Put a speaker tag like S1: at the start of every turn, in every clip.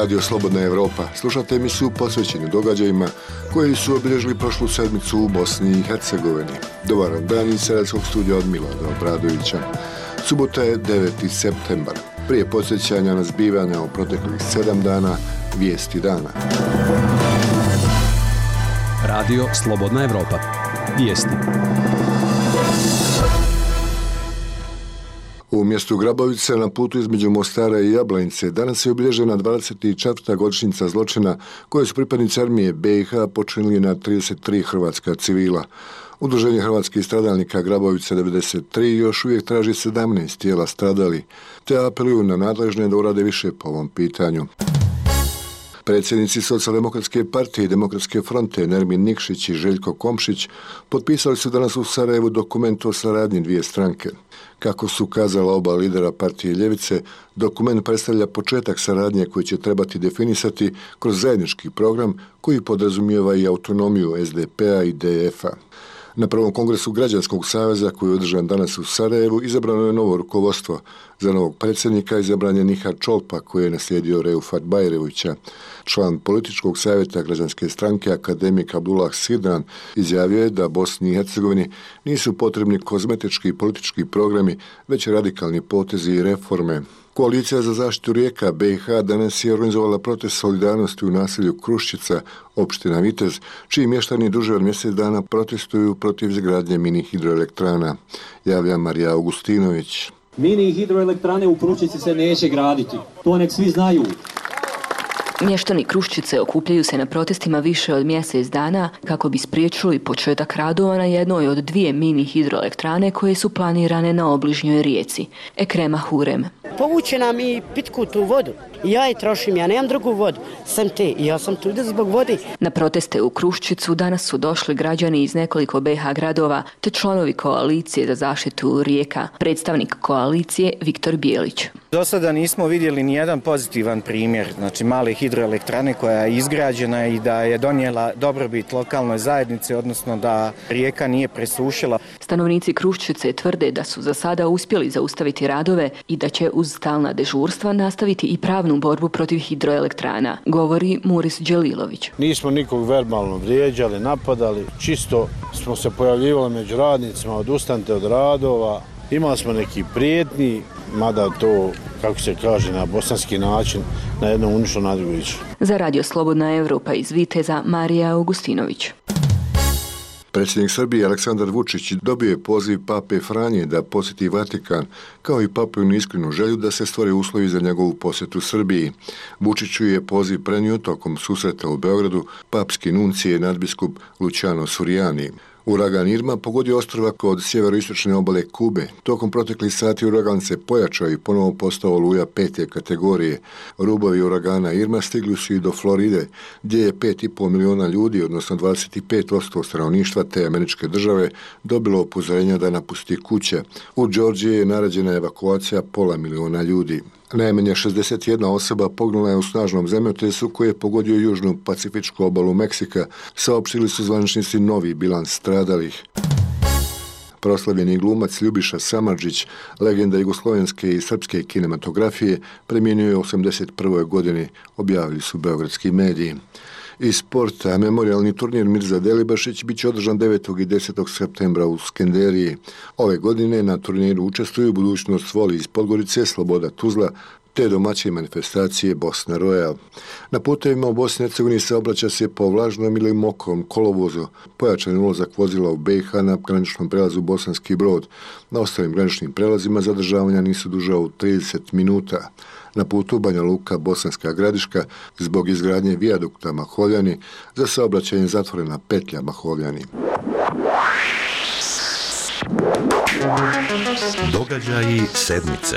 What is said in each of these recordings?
S1: Radio Slobodna Evropa. Slušate emisiju posvećenu događajima koji su obilježili prošlu sedmicu u Bosni i Hercegovini. Dobar dan iz Sarajevskog studija od Milana Obradovića. Subota je 9. septembar. Prije podsjećanja na zbivanja u proteklih 7 dana, vijesti dana.
S2: Radio Slobodna Evropa. Vijesti.
S1: U mjestu Grabovice na putu između Mostara i Jablanice danas je obilježena 24. godišnjica zločina koje su pripadnici armije BiH počinili na 33 hrvatska civila. Udruženje hrvatskih stradalnika Grabovica 93 još uvijek traži 17 tijela stradali, te apeluju na nadležne da urade više po ovom pitanju. Predsjednici Socijaldemokratske partije i Demokratske fronte Nermin Nikšić i Željko Komšić potpisali su danas u Sarajevu dokument o saradnji dvije stranke. Kako su kazala oba lidera partije Ljevice, dokument predstavlja početak saradnje koji će trebati definisati kroz zajednički program koji podrazumijeva i autonomiju SDP-a i DF-a. Na prvom kongresu Građanskog saveza koji je održan danas u Sarajevu izabrano je novo rukovodstvo. Za novog predsjednika izabran je Nihar Čolpa koji je naslijedio Reufat Bajrevića. Član političkog savjeta građanske stranke akademik Abdullah Sidran izjavio je da Bosni i Hercegovini nisu potrebni kozmetički i politički programi, već radikalni potezi i reforme. Koalicija za zaštitu rijeka BiH danas je organizovala protest solidarnosti u naselju Kruščica, opština Vitez, čiji mještani duže od mjesec dana protestuju protiv izgradnje mini hidroelektrana. Javlja Marija Augustinović.
S3: Mini hidroelektrane u Kruščici se neće graditi. To nek svi znaju.
S4: Mještani Kruščice okupljaju se na protestima više od mjesec dana kako bi spriječili početak radova na jednoj od dvije mini hidroelektrane koje su planirane na obližnjoj rijeci. Ekrema Hurem.
S5: Povuče nam i pitku tu vodu. Ja je trošim, ja nemam drugu vodu, sam te i ja sam tu zbog vode.
S4: Na proteste u Kruščicu danas su došli građani iz nekoliko BiH gradova te članovi koalicije za zaštitu rijeka. Predstavnik koalicije Viktor Bijelić.
S6: Do sada nismo vidjeli ni jedan pozitivan primjer, znači male hidroelektrane koja je izgrađena i da je donijela dobrobit lokalnoj zajednici, odnosno da rijeka nije presušila.
S4: Stanovnici Kruščice tvrde da su za sada uspjeli zaustaviti radove i da će uz stalna dežurstva nastaviti i pravnu borbu protiv hidroelektrana, govori Muris Đelilović.
S7: Nismo nikog verbalno vrijeđali, napadali, čisto smo se pojavljivali među radnicima, odustanite od radova, imali smo neki prijetnji, mada to, kako se kaže na bosanski način, na jednom unišlo na drugo išlo.
S4: Za Radio Slobodna Evropa iz Viteza, Marija Augustinović.
S1: Predsjednik Srbije Aleksandar Vučić dobio je poziv Pape Franje da posjeti Vatikan, kao i Papinu iskrenu želju da se stvore uslovi za njegovu posjetu Srbiji. Vučiću je poziv prenio tokom susreta u Beogradu papski nuncije nadbiskup Luciano Suriani. Uragan Irma pogodio ostrva kod sjeveroistočne obale Kube. Tokom proteklih sati uragan se pojačao i ponovo postao oluja 5. kategorije. Rubovi uragana Irma stigli su i do Floride, gdje je 5,5 miliona ljudi, odnosno 25% stanovništva te američke države, dobilo upozorenja da napusti kuće. U Georgiji je naređena evakuacija pola miliona ljudi. Najmanje 61 osoba poginula je u snažnom zemljotresu koji je pogodio južnu pacifičku obalu Meksika, saopštili su zvaničnici novi bilans stradalih. Proslavljeni glumac Ljubiša Samardžić, legenda jugoslovenske i srpske kinematografije, premijenio je u 81. godini, objavili su beogradski mediji. Iz sporta, memorijalni turnir Mirza Delibašić bit će održan 9. i 10. septembra u Skenderiji. Ove godine na turniru učestvuju Budućnost Voli iz Podgorice, Sloboda Tuzla, te domaće manifestacije Bosna Royal. Na putevima u Bosni i Hercegovini saobraća se po vlažnom ili mokrom kolovozu. Pojačan ulazak vozila u BiH na graničnom prelazu Bosanski Brod. Na ostalim graničnim prelazima zadržavanja nisu duža od 30 minuta. Na putu Banja Luka, Bosanska Gradiška, zbog izgradnje vijadukta Mahovljani, za saobraćanje zatvorena petlja Mahovljani.
S8: Događaji sedmice.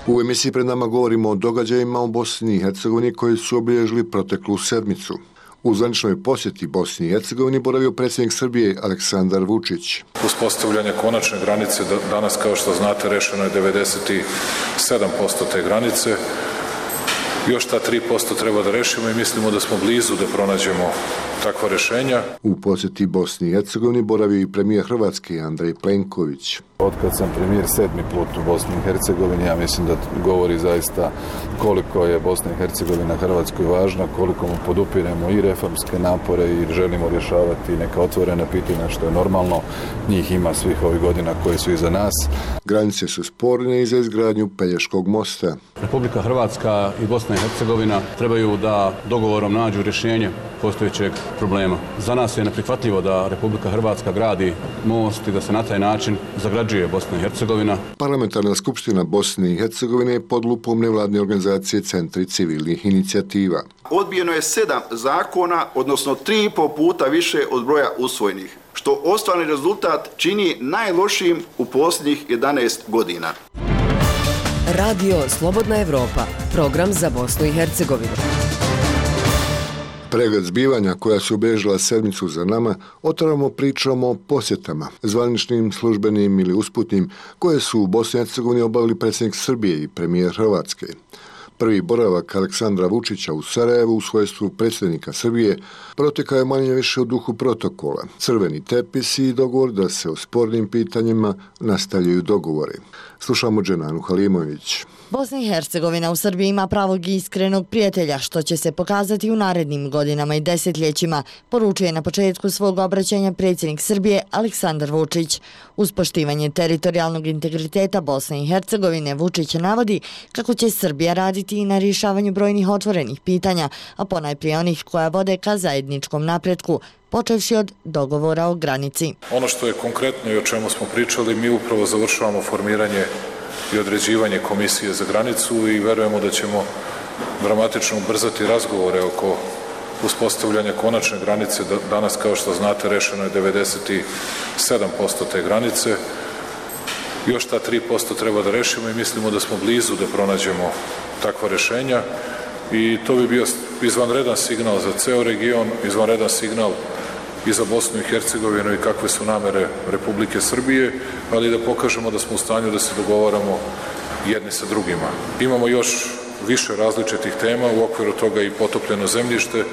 S1: U emisiji pred nama govorimo o događajima u Bosni i Hercegovini koji su obilježili proteklu sedmicu. U zvaničnoj posjeti Bosni i Hercegovini boravio predsjednik Srbije Aleksandar Vučić.
S9: Uspostavljanje konačne granice danas, kao što znate, rešeno je 97% te granice. Još ta 3% treba da rešimo i mislimo da smo blizu da pronađemo takva rešenja.
S1: U posjeti Bosni i Hercegovini boravio i premijer Hrvatske Andrej Plenković.
S10: Otkad sam premijer 7. put u Bosni i Hercegovini, ja mislim da govori zaista koliko je Bosna i Hercegovina Hrvatskoj važna, koliko mu podupiremo i reformske napore i želimo rješavati neka otvorena pitanja, što je normalno. Njih ima svih ovih godina koji su iza nas.
S1: Granice su sporne i za izgradnju Pelješkog mosta.
S11: Republika Hrvatska i Bosna i Hercegovina trebaju da dogovorom nađu rješenje postojećeg problema. Za nas je neprihvatljivo da Republika Hrvatska gradi most i da se na taj način zagrađuje Bosna i Hercegovina.
S1: Parlamentarna skupština Bosne i Hercegovine je pod lupom nevladne organizacije Centri civilnih inicijativa.
S12: Odbijeno je 7 zakona, odnosno 3,5 puta više od broja usvojenih, što ostvareni rezultat čini najlošijim u posljednjih 11 godina.
S13: Radio Slobodna Evropa, program za Bosnu i Hercegovinu.
S1: Pregled zbivanja koja su obilježila sedmicu za nama, otvaramo pričom o posjetama, zvaničnim, službenim ili usputnim, koje su u Bosni i Hercegovini obavili predsjednik Srbije i premijer Hrvatske. Prvi boravak Aleksandra Vučića u Sarajevu u svojstvu predsjednika Srbije protekao je manje više u duhu protokola. Crveni tepis i dogovor da se o spornim pitanjima nastavljaju dogovori. Slušamo Dženanu Halimović.
S14: Bosna i Hercegovina u Srbiji ima pravog i iskrenog prijatelja, što će se pokazati u narednim godinama i desetljećima, poručuje na početku svog obraćanja predsjednik Srbije Aleksandar Vučić. Uz poštivanje teritorijalnog integriteta Bosne i Hercegovine, Vučić navodi kako će Srbija raditi i na rješavanju brojnih otvorenih pitanja, a ponajprije onih koja vode ka zajedničkom napretku, počevši od dogovora o granici.
S9: Ono što je konkretno i o čemu smo pričali, mi upravo završavamo formiranje i određivanje komisije za granicu i verujemo da ćemo dramatično ubrzati razgovore oko uspostavljanja konačne granice. Danas, kao što znate, rešeno je 97% te granice. Još ta 3% treba da rešimo i mislimo da smo blizu da pronađemo takva rešenja i to bi bio izvanredan signal za ceo region, izvanredan signal i za Bosnu i Hercegovinu i kakve su namere Republike Srbije, ali da pokažemo da smo u stanju da se dogovaramo jedni sa drugima. Imamo još više različitih tema, u okviru toga i potopljeno zemljište.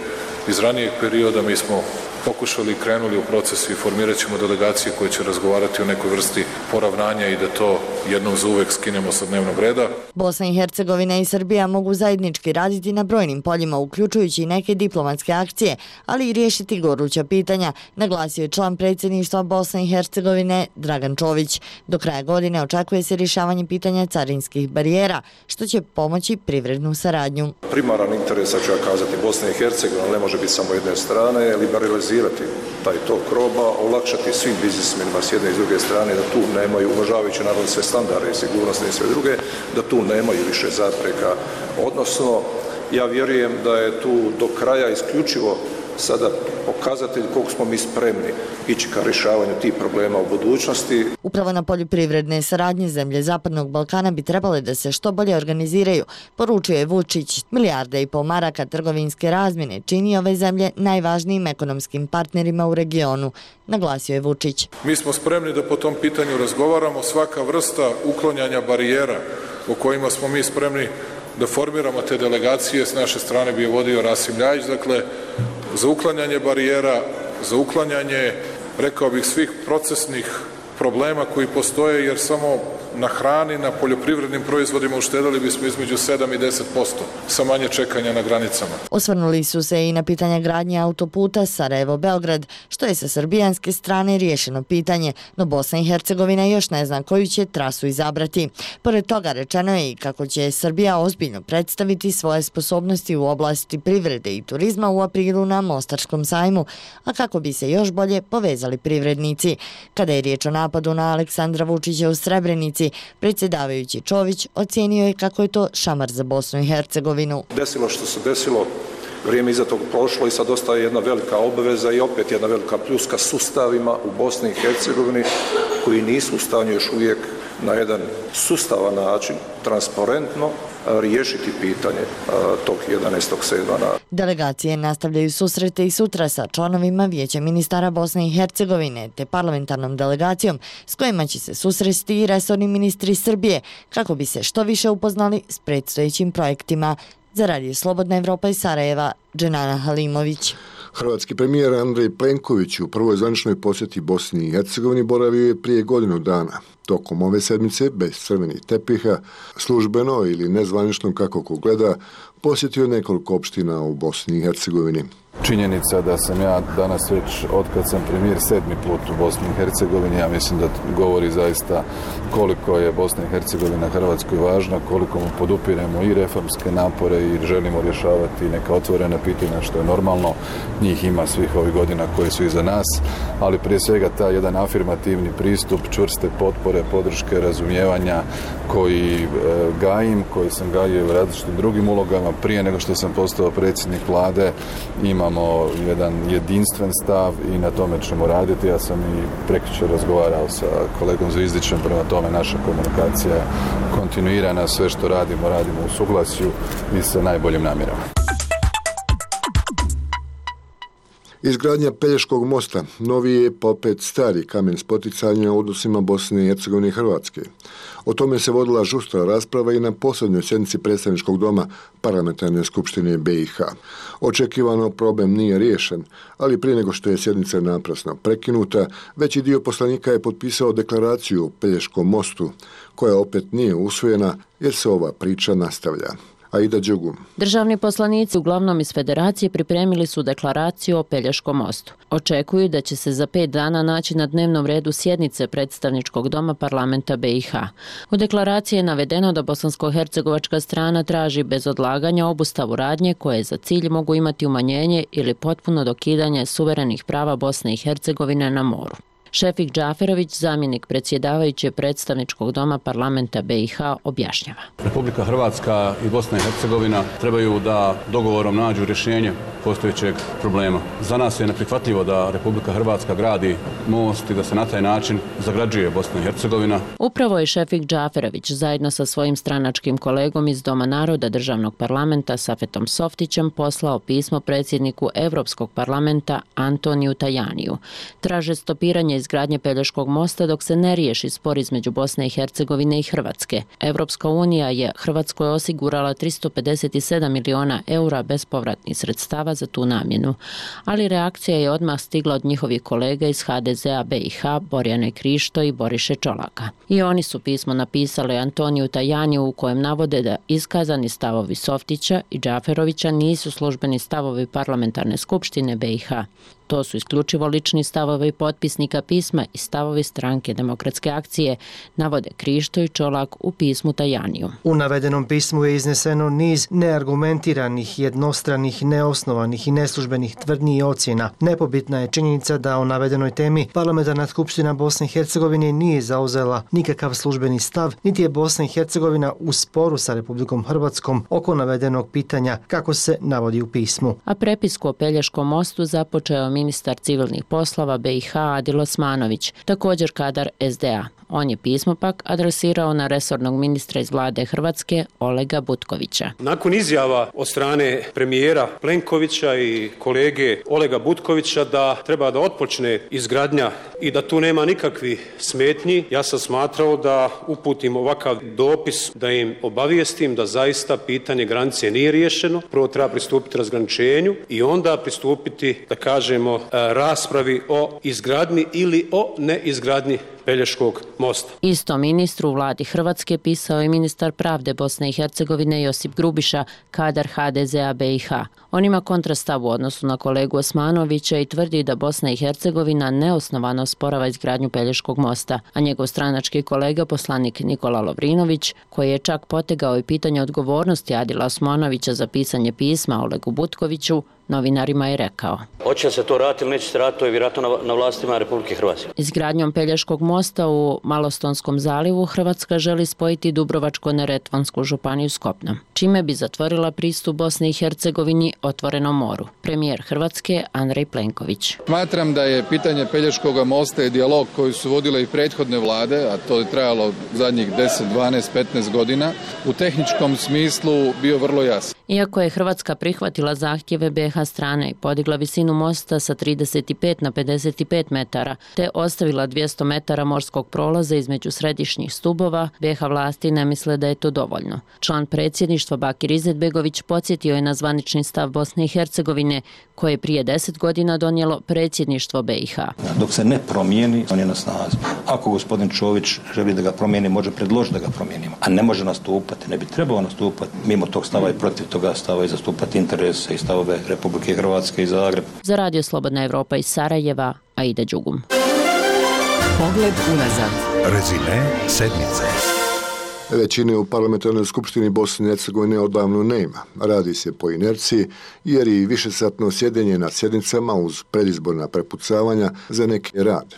S9: Iz ranijeg perioda mi smo pokušali i krenuli u proces i formirat ćemo delegacije koje će razgovarati o nekoj vrsti poravnanja i da to jednom za uvek skinemo sa dnevnog reda.
S14: Bosna i Hercegovina i Srbija mogu zajednički raditi na brojnim poljima, uključujući i neke diplomatske akcije, ali i riješiti goruća pitanja, naglasio je član predsjedništva Bosne i Hercegovine Dragan Čović. Do kraja godine očekuje se rješavanje pitanja carinskih barijera, što će pomoći privrednu saradnju.
S15: Primaran interes, ću ja kazati, Bosne i Hercegovine ne može biti samo jedne strane, liberalizirati taj tok roba, olakšati svim biznismenima s jedne i s druge strane da tu nemaju, uvažavajući naravno sve standarde i sigurnosne i sve druge, da tu nemaju više zapreka. Odnosno, ja vjerujem da je tu do kraja isključivo sada pokazatelj koliko smo mi spremni ići ka rješavanju tih problema u budućnosti.
S14: Upravo na polju privredne saradnje zemlje Zapadnog Balkana bi trebale da se što bolje organiziraju, poručuje Vučić. 1,5 milijarde maraka trgovinske razmjene čini ove zemlje najvažnijim ekonomskim partnerima u regionu, naglasio je Vučić.
S9: Mi smo spremni da po tom pitanju razgovaramo, svaka vrsta uklanjanja barijera o kojima smo mi spremni da formiramo te delegacije, s naše strane bi je vodio Rasim Ljajić, dakle, za uklanjanje barijera, za uklanjanje, rekao bih, svih procesnih problema koji postoje, jer samo na hrani, na poljoprivrednim proizvodima uštedali bismo između 7 i 10% sa manje čekanja na granicama.
S14: Osvrnuli su se i na pitanja gradnje autoputa Sarajevo-Beograd, što je sa srbijanske strane riješeno pitanje, no Bosna i Hercegovina još ne zna koju će trasu izabrati. Pored toga rečeno je i kako će Srbija ozbiljno predstaviti svoje sposobnosti u oblasti privrede i turizma u aprilu na Mostarskom sajmu, a kako bi se još bolje povezali privrednici. Kada je riječ o napadu na Aleksandra Vučića u Srebrenici, predsjedavajući Čović ocijenio je kako je to šamar za Bosnu i Hercegovinu.
S15: Desilo što se desilo, vrijeme iza toga prošlo i sad ostaje jedna velika obaveza i opet jedna velika pljuska sustavima u Bosni i Hercegovini koji nisu u stanju još uvijek na jedan sustavan način, transparentno, riješiti pitanje tog 11.7.
S14: Delegacije nastavljaju susrete i sutra sa članovima Vijeća ministara Bosne i Hercegovine te parlamentarnom delegacijom s kojima će se susresti i resorni ministri Srbije kako bi se što više upoznali s predstojećim projektima, Za Radio Slobodna Evropa iz Sarajeva, Dženana Halimović.
S1: Hrvatski premijer Andrej Plenković u prvoj zvaničnoj posjeti Bosni i Hercegovini boravio je prije godinu dana. Tokom ove sedmice, bez crvenih tepiha, službeno ili nezvanično kako ko gleda, posjetio nekoliko opština u Bosni i Hercegovini.
S10: Činjenica da sam ja danas već, otkad sam premijer, 7. put u Bosni i Hercegovini, ja mislim da govori zaista koliko je Bosna i Hercegovina Hrvatskoj važna, koliko mu podupiremo i reformske napore i želimo rješavati neka otvorena pitanja, što je normalno. Njih ima svih ovih godina koji su iza nas, ali prije svega taj jedan afirmativni pristup, čvrste potpore, podrške, razumijevanja koji gajim, koji sam gajio u različitim drugim ulogama prije nego što sam postao predsjednik vlade. Imamo jedan jedinstven stav i na tome ćemo raditi. Ja sam i prekjučer razgovarao sa kolegom Zvizdićem, prema tome naša komunikacija je kontinuirana, sve što radimo u suglasju i sa najboljim namjerama.
S1: Izgradnja Pelješkog mosta novi je pa opet stari kamen spoticanja u odnosima Bosne i Hercegovine i Hrvatske. O tome se vodila žustra rasprava i na posljednjoj sjednici predstavničkog doma Parlamentarne skupštine BiH. Očekivano problem nije riješen, ali prije nego što je sjednica naprasno prekinuta, veći dio poslanika je potpisao deklaraciju o Pelješkom mostu, koja opet nije usvojena jer se ova priča nastavlja. Aida Đugum.
S16: Državni poslanici, uglavnom iz Federacije, pripremili su deklaraciju o Pelješkom mostu. Očekuju da će se za 5 dana naći na dnevnom redu sjednice predstavničkog doma parlamenta BiH. U deklaraciji je navedeno da bosansko-hercegovačka strana traži bez odlaganja obustavu radnje koje za cilj mogu imati umanjenje ili potpuno dokidanje suverenih prava Bosne i Hercegovine na moru. Šefik Džaferović, zamjenik predsjedavajuće predstavničkog doma parlamenta BiH, objašnjava.
S11: Republika Hrvatska i Bosna i Hercegovina trebaju da dogovorom nađu rješenje postojećeg problema. Za nas je neprihvatljivo da Republika Hrvatska gradi most i da se na taj način zagrađuje Bosna i Hercegovina.
S16: Upravo je Šefik Džaferović zajedno sa svojim stranačkim kolegom iz Doma naroda državnog parlamenta Safetom Softićem poslao pismo predsjedniku Europskog parlamenta Antoniju Tajaniju. Traže stopiranje izgradnje Pelješkog mosta dok se ne riješi spor između Bosne i Hercegovine i Hrvatske. Europska unija je Hrvatskoj osigurala 357 miliona eura bespovratnih sredstava za tu namjenu, ali reakcija je odmah stigla od njihovih kolega iz HDZ-a BiH, Borjane Krišto i Boriše Čolaka. I oni su pismo napisali Antoniju Tajaniju u kojem navode da iskazani stavovi Softića i Džaferovića nisu službeni stavovi parlamentarne skupštine BiH. To su isključivo lični stavovi potpisnika pisma i stavovi stranke Demokratske akcije, navode Krišto i Čolak u pismu Tajaniju.
S17: U navedenom pismu je izneseno niz neargumentiranih, jednostranih, neosnovanih i neslužbenih tvrdnji i ocjena. Nepobitna je činjenica da o navedenoj temi Parlamentarna skupština Bosne i Hercegovine nije zauzela nikakav službeni stav, niti je Bosna i Hercegovina u sporu sa Republikom Hrvatskom oko navedenog pitanja, kako se navodi u pismu.
S16: A prepisku o Pelješkom mostu započeo ministar civilnih poslova BiH Adil Osmanović, također kadar SDA. On je pismo pak adresirao na resornog ministra iz vlade Hrvatske Olega Butkovića.
S18: Nakon izjava od strane premijera Plenkovića i kolege Olega Butkovića da treba da otpočne izgradnja i da tu nema nikakvih smetnji, ja sam smatrao da uputim ovakav dopis, da im obavijestim da zaista pitanje granice nije riješeno. Prvo treba pristupiti razgraničenju i onda pristupiti, da kažemo, raspravi o izgradnji ili o neizgradnji Pelješkog mosta.
S16: Isto ministru u vladi Hrvatske pisao je ministar pravde Bosne i Hercegovine Josip Grubiša, kadar HDZ-a BiH. On ima kontrastav u odnosu na kolegu Osmanovića i tvrdi da Bosna i Hercegovina neosnovano sporava izgradnju Pelješkog mosta, a njegov stranački kolega poslanik Nikola Lovrinović, koji je čak potegao i pitanje odgovornosti Adila Osmanovića za pisanje pisma Olegu Butkoviću, novinarima je rekao.
S19: Hoće se to raditi ili neće se raditi, to je vjerojatno na vlastima Republike Hrvatske.
S16: Izgradnjom Pelješkog mosta u Malostonskom zalivu Hrvatska želi spojiti Dubrovačko-neretvansku županiju s kopnom, čime bi zatvorila pristup Bosne i Hercegovini otvorenom moru. Premijer Hrvatske Andrej Plenković.
S10: Smatram da je pitanje Pelješkog mosta i dijalog koji su vodile i prethodne vlade, a to je trajalo zadnjih 10, 12, 15 godina, u tehničkom smislu bio vrlo jasan.
S16: Iako je Hrvatska prihvatila zahtjeve BiH strane i podigla visinu mosta sa 35 na 55 metara, te ostavila 200 metara morskog prolaza između središnjih stubova, BiH vlasti ne misle da je to dovoljno. Član predsjedništva Bakir Izetbegović podsjetio je na zvanični stav Bosne i Hercegovine, koje je prije 10 godina donijelo predsjedništvo BiH.
S20: Dok se ne promijeni, on je na snazi. Ako gospodin Čović želi da ga promijeni, može predložiti da ga promijenimo, a ne može nastupati, ne bi trebao nastupati mimo tog stava i protiv toga stava i zastupati interese i stavove Republike Hrvatske i Zagreb.
S16: Za Radio Slobodna Evropa iz Sarajeva, Aida Đugum.
S13: Pogled unazad.
S8: Rezime sedmice.
S1: Većine u parlamentarnoj skupštini Bosne i Hercegovine odavno nema. Radi se po inerciji jer i višesatno sjedenje na sjednicama uz predizborna prepucavanja za neke rad.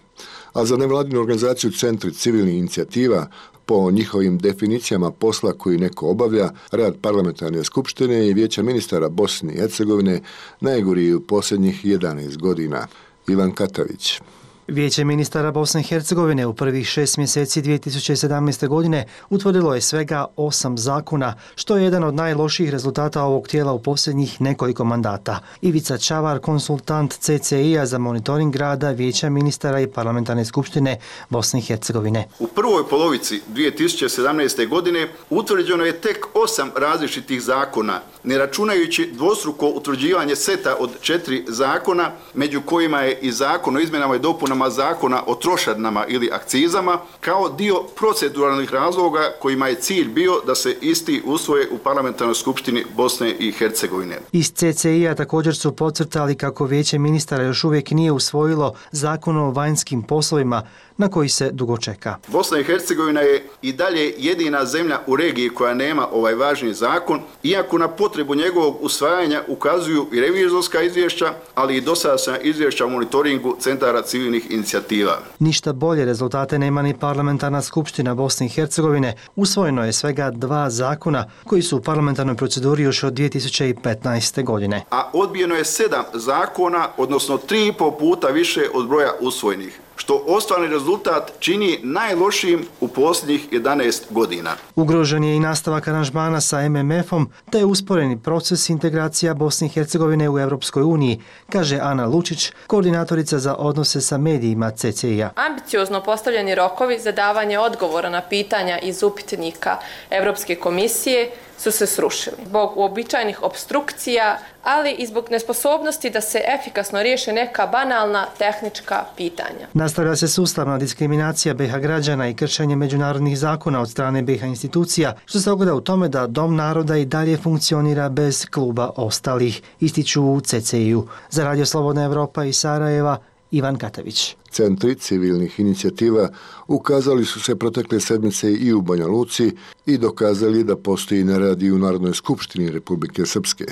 S1: A za nevladinu organizaciju Centri civilnih inicijativa, po njihovim definicijama posla koji neko obavlja, rad parlamentarne skupštine i vijeća ministara Bosne i Hercegovine najgori u posljednjih 11 godina. Ivan Katavić.
S17: Vijeće ministara Bosne i Hercegovine u prvih 6 mjeseci 2017. godine utvrdilo je svega 8 zakona, što je jedan od najlošijih rezultata ovog tijela u posljednjih nekoliko mandata. Ivica Čavar, konsultant CCI-a za monitoring rada Vijeća ministara i parlamentarne skupštine Bosne i Hercegovine.
S12: U prvoj polovici 2017. godine utvrđeno je tek 8 različitih zakona, ne računajući dvostruko utvrđivanje seta od 4 zakona, među kojima je i zakon o izmjenama i dopunama zakona o trošarinama ili akcizama, kao dio proceduralnih razloga kojima je cilj bio da se isti usvoje u parlamentarnoj skupštini Bosne i Hercegovine.
S17: Iz CCI-a također su podcrtali kako Vijeće ministara još uvijek nije usvojilo zakon o vanjskim poslovima, na koji se dugo čeka.
S12: Bosna i Hercegovina je i dalje jedina zemlja u regiji koja nema ovaj važni zakon, iako na potrebu njegovog usvajanja ukazuju i revizorska izvješća, ali i dosadašnja izvješća o monitoringu centara civilnih inicijativa.
S17: Ništa bolje rezultate nema ni parlamentarna skupština Bosne i Hercegovine. Usvojeno je svega 2 zakona koji su u parlamentarnoj proceduri još od 2015. godine.
S12: A odbijeno je 7 zakona, odnosno 3,5 puta više od broja usvojenih, što ostvarni rezultat čini najlošijim u posljednjih 11 godina.
S17: Ugrožen je i nastavak aranžmana sa MMF-om, te je usporeni proces integracija Bosne i Hercegovine u Europskoj uniji, kaže Ana Lučić, koordinatorica za odnose sa medijima CCI-a.
S21: Ambiciozno postavljeni rokovi za davanje odgovora na pitanja iz upitnika Europske komisije su se srušili zbog uobičajenih opstrukcija, ali i zbog nesposobnosti da se efikasno riješe neka banalna tehnička pitanja.
S17: Nastavlja se sustavna diskriminacija BiH građana i kršenje međunarodnih zakona od strane BiH institucija, što se ogleda u tome da Dom naroda i dalje funkcionira bez kluba ostalih, ističu u CCI-u. Za Radio Slobodna Evropa iz Sarajeva, Ivan Katavić.
S1: Centri civilnih inicijativa ukazali su se protekle sedmice i u Banja Luci i dokazali da postoji nerad i u Narodnoj skupštini Republike Srpske.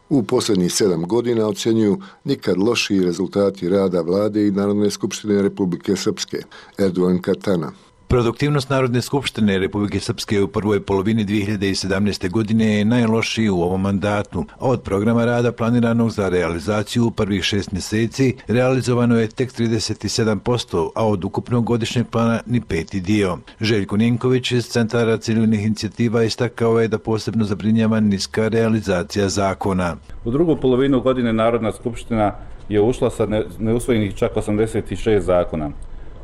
S1: U posljednjih 7 godina ocjenjuju nikad lošiji rezultati rada vlade i Narodne skupštine Republike Srpske. Erdogan Katana.
S22: Produktivnost Narodne skupštine Republike Srpske u prvoj polovini 2017. godine je najlošiji u ovom mandatu. Od programa rada planiranog za realizaciju u prvih 6 mjeseci realizovano je tek 37%, a od ukupnog godišnjeg plana ni 5. dio. Željko Ninković iz Centara civilnih inicijativa istakao je da posebno zabrinjava niska realizacija zakona.
S23: U drugu polovinu godine Narodna skupština je ušla sa neusvojenih čak 86 zakona.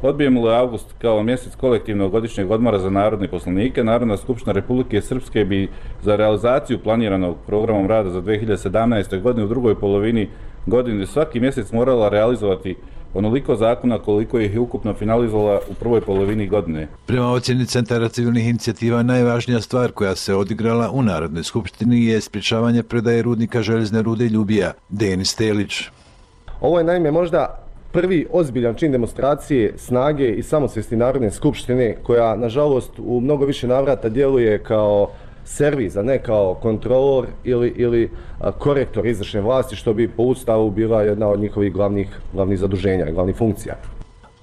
S23: Odbijemo li avgust kao mjesec kolektivnog godišnjeg odmora za narodne poslanike, Narodna skupština Republike Srpske bi za realizaciju planiranog programom rada za 2017. godine u drugoj polovini godine svaki mjesec morala realizovati onoliko zakona koliko ih je ukupno finalizovala u prvoj polovini godine.
S22: Prema ocjeni Centara civilnih inicijativa, najvažnija stvar koja se odigrala u Narodnoj skupštini je sprječavanje predaje rudnika željezne rude Ljubija. Denis Telić.
S24: Ovo je naime možda prvi ozbiljan čin demonstracije snage i samosvijesti Narodne skupštine, koja nažalost u mnogo više navrata djeluje kao servis, a ne kao kontrolor ili korektor izvršne vlasti, što bi po Ustavu bila jedna od njihovih glavnih zaduženja, glavnih funkcija.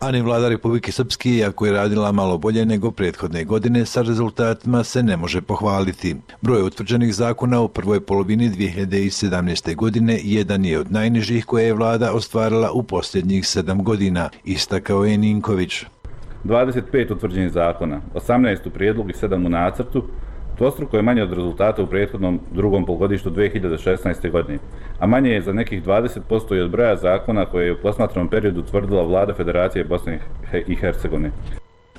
S22: A ni vlada Republike Srpske, iako je radila malo bolje nego prethodne godine, sa rezultatima se ne može pohvaliti. Broj utvrđenih zakona u prvoj polovini 2017. godine jedan je od najnižih koje je vlada ostvarila u posljednjih 7 godina, istakao je Ninković.
S23: 25 utvrđenih zakona, 18 u prijedlogu i 7 u nacrtu, Dvostruko je manje od rezultata u prethodnom drugom polugodištu 2016. godine, a manje je za nekih 20% i od broja zakona koje je u posmatranom periodu utvrdila vlada Federacije Bosne i Hercegovine.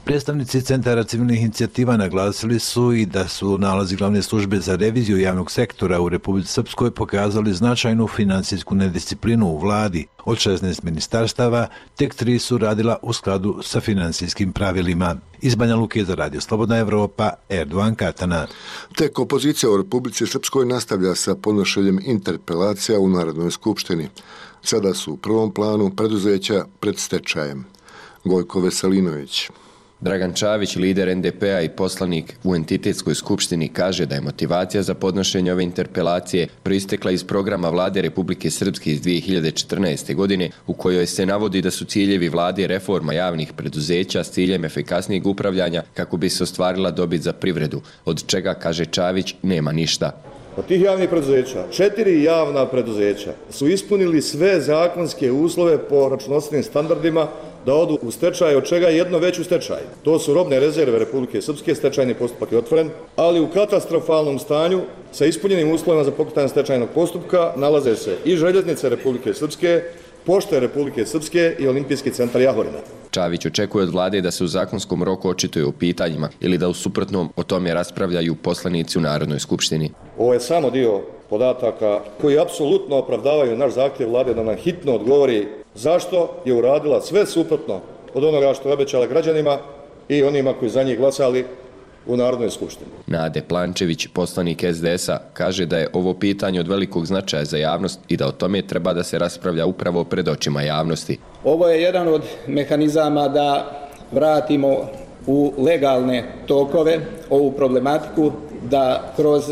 S22: Predstavnici Centara civilnih inicijativa naglasili su i da su nalazi glavne službe za reviziju javnog sektora u Republici Srpskoj pokazali značajnu finansijsku nedisciplinu u vladi. Od 16 ministarstava, tek 3 su radila u skladu sa finansijskim pravilima. Iz Banja Luke za Radio Slobodna Evropa, Erdogan Katana.
S1: Tek opozicija u Republici Srpskoj nastavlja sa podnošenjem interpelacija u Narodnoj skupštini. Sada su u prvom planu preduzeća pred stečajem. Gojko Veselinović.
S2: Dragan Čavić, lider NDP-a i poslanik u entitetskoj skupštini, kaže da je motivacija za podnošenje ove interpelacije proistekla iz programa vlade Republike Srpske iz 2014. godine, u kojoj se navodi da su ciljevi vlade reforma javnih preduzeća s ciljem efikasnijeg upravljanja kako bi se ostvarila dobit za privredu, od čega, kaže Čavić, nema ništa.
S3: Od tih javnih preduzeća, 4 javna preduzeća su ispunili sve zakonske uslove po računovodstvenim standardima da odu u stečaj, od čega je jedno već u stečaju. To su robne rezerve Republike Srpske, stečajni postupak je otvoren, ali u katastrofalnom stanju sa ispunjenim uslovima za pokretanje stečajnog postupka nalaze se i Željeznice Republike Srpske, Pošte Republike Srpske i Olimpijski centar Jahorina.
S2: Čavić očekuje od vlade da se u zakonskom roku očituje u pitanjima ili da u suprotnom o tome raspravljaju poslanici u Narodnoj skupštini.
S3: Ovo je samo dio podataka koji apsolutno opravdavaju naš zahtjev vlade da nam hitno odgovori zašto je uradila sve suprotno od onoga što je obećala građanima i onima koji za njih glasali u Narodnoj skupštini.
S2: Nade Plančević, poslanik SDS-a, kaže da je ovo pitanje od velikog značaja za javnost i da o tome treba da se raspravlja upravo pred očima javnosti.
S5: Ovo je jedan od mehanizama da vratimo u legalne tokove ovu problematiku, da kroz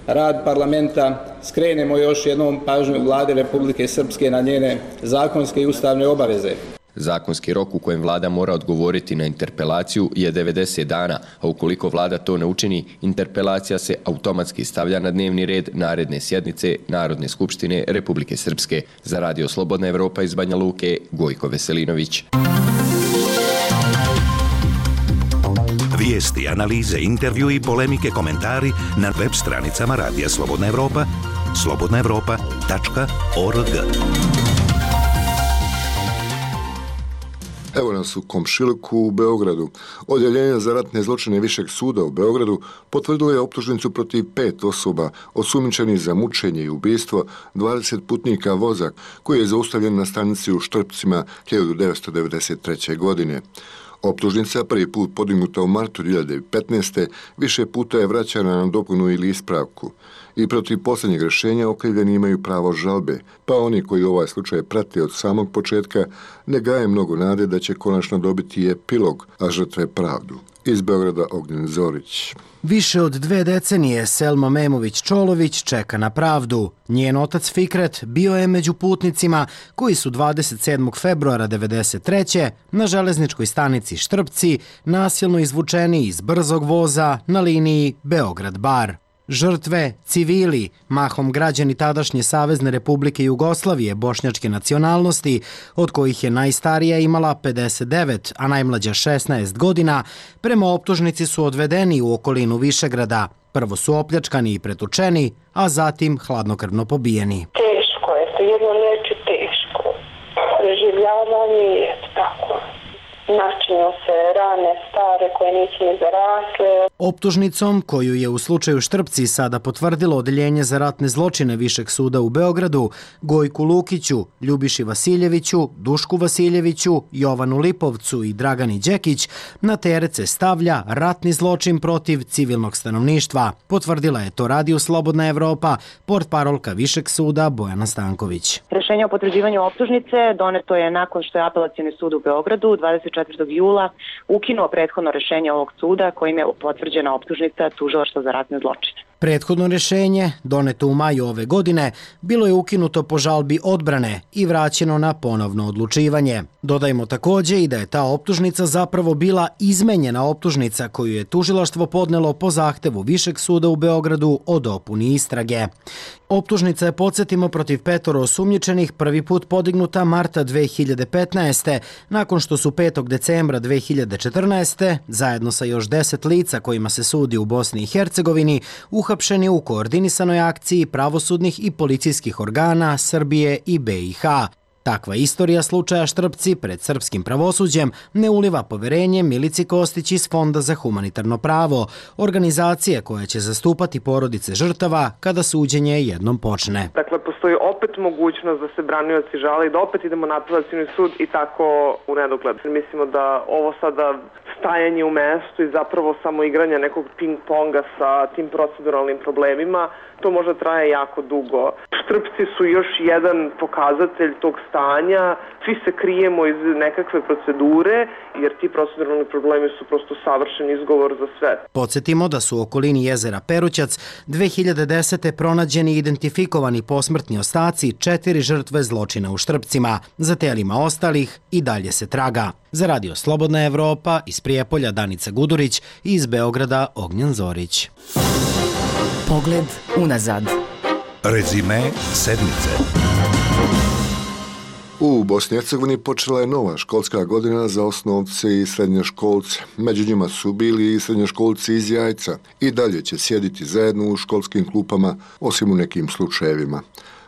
S5: rad parlamenta skrenemo još jednom pažnju vlade Republike Srpske na njene zakonske i ustavne obaveze.
S2: Zakonski rok u kojem vlada mora odgovoriti na interpelaciju je 90 dana, a ukoliko vlada to ne učini, interpelacija se automatski stavlja na dnevni red naredne sjednice Narodne skupštine Republike Srpske. Za Radio Slobodna Evropa iz Banja Luke, Gojko Veselinović.
S8: Vijesti, analize, intervju i polemike, komentari na web stranicama Radija Slobodna Evropa, slobodnaevropa.org.
S1: Evo nas u komšiluku u Beogradu. Odjeljenje za ratne zločine Višeg suda u Beogradu potvrdilo je optužnicu protiv 5 osoba osumnjičenih za mučenje i ubistvo 20 putnika voza koji je zaustavljen na stanici u Štrpcima 1993. godine. Optužnica, prvi put podignuta u martu 2015. više puta je vraćana na dopunu ili ispravku. I protiv posljednjeg rješenja okrivljeni imaju pravo žalbe, pa oni koji ovaj slučaj prate od samog početka ne gaje mnogo nade da će konačno dobiti epilog, a žrtve pravdu. Iz Beograda Ognjen Zorić.
S6: Više od 2 decenije Selma Memović-Čolović čeka na pravdu. Njen otac Fikret bio je među putnicima koji su 27. februara 1993. na železničkoj stanici Štrpci nasilno izvučeni iz brzog voza na liniji Beograd-Bar. Žrtve, civili, mahom građani tadašnje Savezne Republike Jugoslavije bošnjačke nacionalnosti, od kojih je najstarija imala 59, a najmlađa 16 godina, prema optužnici su odvedeni u okolinu Višegrada. Prvo su opljačkani i pretučeni, a zatim hladnokrvno pobijeni.
S25: Teško je, to jedno neće teško. Preživljavanje je tako. Načinju se rane stare koje nisu ni zarasle.
S6: Optužnicom, koju je u slučaju Štrpci sada potvrdilo Odeljenje za ratne zločine Višeg suda u Beogradu, Gojku Lukiću, Ljubiši Vasiljeviću, Dušku Vasiljeviću, Jovanu Lipovcu i Dragani Đekić, na teret se stavlja ratni zločin protiv civilnog stanovništva. Potvrdila je to Radio Slobodna Evropa, portparolka Višeg suda Bojana Stanković.
S26: Rješenje o potvrđivanju optužnice doneto je nakon što je Apelacioni sud u Beogradu 24. jula ukinuo prethodno rješenje ovog suda kojim je potvrđena optužnica tužilaštva za ratne zločine.
S6: Prethodno rješenje, doneto u maju ove godine, bilo je ukinuto po žalbi odbrane i vraćeno na ponovno odlučivanje. Dodajmo također i da je ta optužnica zapravo bila izmenjena optužnica koju je tužilaštvo podnelo po zahtevu Višeg suda u Beogradu o dopuni istrage. Optužnica je, podsjetimo, protiv 5 osumnjičenih prvi put podignuta marta 2015. nakon što su 5. decembra 2014. zajedno sa još 10 lica kojima se sudi u Bosni i Hercegovini uhapšeni u koordinisanoj akciji pravosudnih i policijskih organa Srbije i BiH. Takva istorija slučaja Štrpci pred srpskim pravosuđem ne uliva poverenje Milici Kostić iz Fonda za humanitarno pravo, organizacije koja će zastupati porodice žrtava kada suđenje jednom počne.
S4: Dakle, postoji opet mogućnost da se branioci žale i da opet idemo na apelacioni sud i tako u nedogled. Mislimo da ovo sada stajanje u mestu i zapravo samo igranje nekog ping-ponga sa tim proceduralnim problemima, to možda traje jako dugo. Štrpci su još jedan pokazatelj tog stanja, svi se krijemo iz nekakve procedure, jer ti proceduralni problemi su prosto savršen izgovor za sve.
S6: Podsjetimo da su u okolini jezera Perućac 2010. pronađeni i identifikovani posmrtni ostaci 4 žrtve zločina u Štrpcima. Za telima ostalih i dalje se traga. Za Radio Slobodna Evropa, iz Prijepolja Danica Gudurić i iz Beograda Ognjen Zorić.
S13: Pogled unazad.
S8: Rezime sedmice.
S1: U Bosni i Hercegovini počela je nova školska godina za osnovce i srednjoškolce. Među njima su bili i srednjoškolci iz Jajca. I dalje će sjediti zajedno u školskim klupama, osim u nekim slučajevima.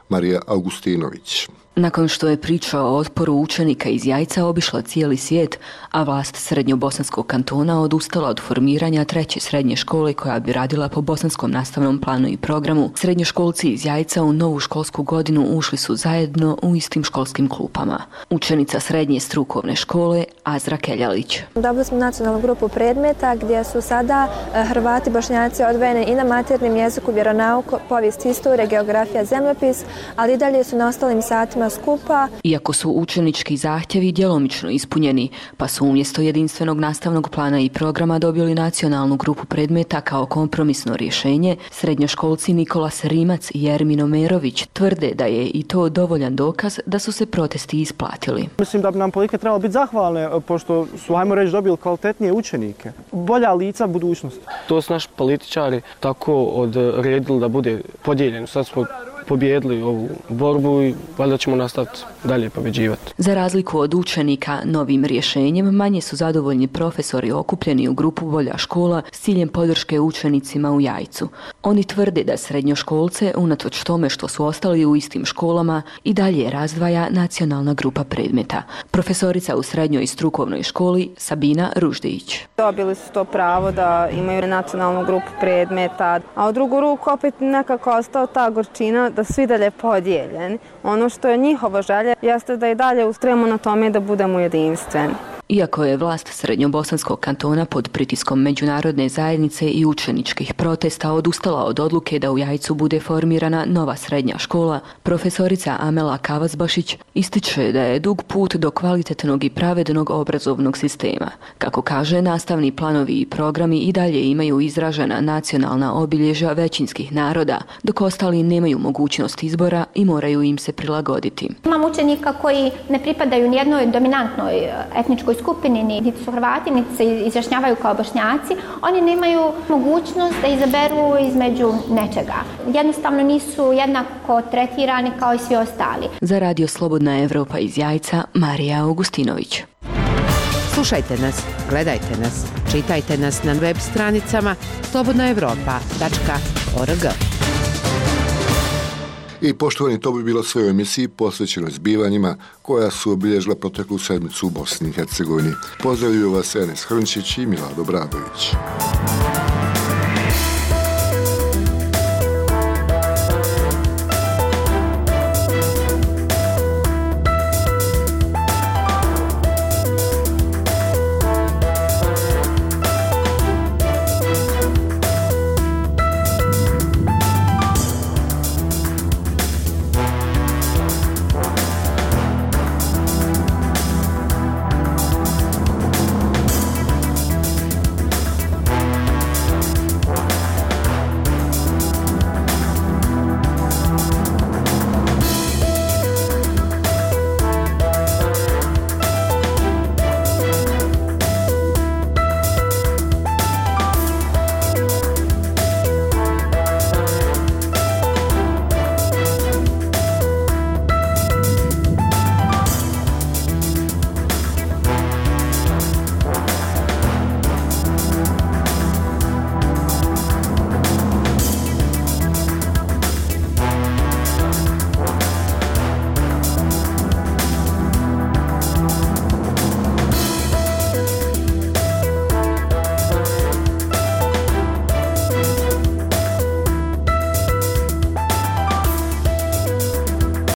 S1: Marija Augustinović.
S7: Nakon što je priča o otporu učenika iz Jajca obišla cijeli svijet, a vlast Srednjobosanskog kantona odustala od formiranja 3. srednje škole koja bi radila po bosanskom nastavnom planu i programu, srednjoškolci iz Jajca u novu školsku godinu ušli su zajedno u istim školskim klupama. Učenica srednje strukovne škole Azra Keljalić.
S9: Dobili smo nacionalnu grupu predmeta gdje su sada Hrvati, Bošnjaci odvojeni i na maternjem jeziku, vjeronauku, povijest, istorija, geografija, zemljopis, ali i dalje su na ostalim satima skupa.
S7: Iako su učenički zahtjevi djelomično ispunjeni, pa su umjesto jedinstvenog nastavnog plana i programa dobili nacionalnu grupu predmeta kao kompromisno rješenje, srednjoškolci Nikolas Rimac i Jermino Merović tvrde da je i to dovoljan dokaz da su se protesti isplatili.
S11: Mislim da bi nam politike trebalo biti zahvalne, pošto su, ajmo reći, dobili kvalitetnije učenike. Bolja lica budućnosti.
S14: To su naši političari tako odredili da bude podijeljeno. Sad smo pobjedili ovu borbu i valjda ćemo nastaviti dalje pobjeđivati.
S7: Za razliku od učenika, novim rješenjem manje su zadovoljni profesori okupljeni u grupu Bolja škola s ciljem podrške učenicima u Jajcu. Oni tvrde da srednjoškolce, unatoč tome što su ostali u istim školama, i dalje razdvaja nacionalna grupa predmeta. Profesorica u srednjoj strukovnoj školi Sabina Ruždić.
S15: Dobili su to pravo da imaju nacionalnu grupu predmeta, a u drugu ruku opet nekako ostao ta gorčina da svi dalje podijeljeni. Ono što je njihova želja jeste da i dalje ustrajemo na tome da budemo jedinstveni.
S7: Iako je vlast Srednjobosanskog kantona pod pritiskom međunarodne zajednice i učeničkih protesta odustala od odluke da u Jajcu bude formirana nova srednja škola, profesorica Amela Kavazbašić ističe da je dug put do kvalitetnog i pravednog obrazovnog sistema. Kako kaže, nastavni planovi i programi i dalje imaju izražena nacionalna obilježja većinskih naroda, dok ostali nemaju mogućnost izbora i moraju im se prilagoditi.
S27: Imam učenika koji ne pripadaju nijednoj dominantnoj etničkoj skupini, niti su Hrvati, niti se izjašnjavaju kao Bošnjaci. Oni nemaju mogućnost da izaberu između nečega. Jednostavno nisu jednako tretirani kao i svi ostali.
S7: Za Radio Slobodna Evropa iz Jajca, Marija Augustinović.
S28: Slušajte nas, gledajte nas, čitajte nas na web stranicama slobodnaevropa.org.
S1: I poštovani, to bi bilo sve u emisiji posvećeno zbivanjima koja su obilježila proteklu sedmicu u Bosni i Hercegovini. Pozdravljuju vas Enes Hrnčić i Milado Bradović.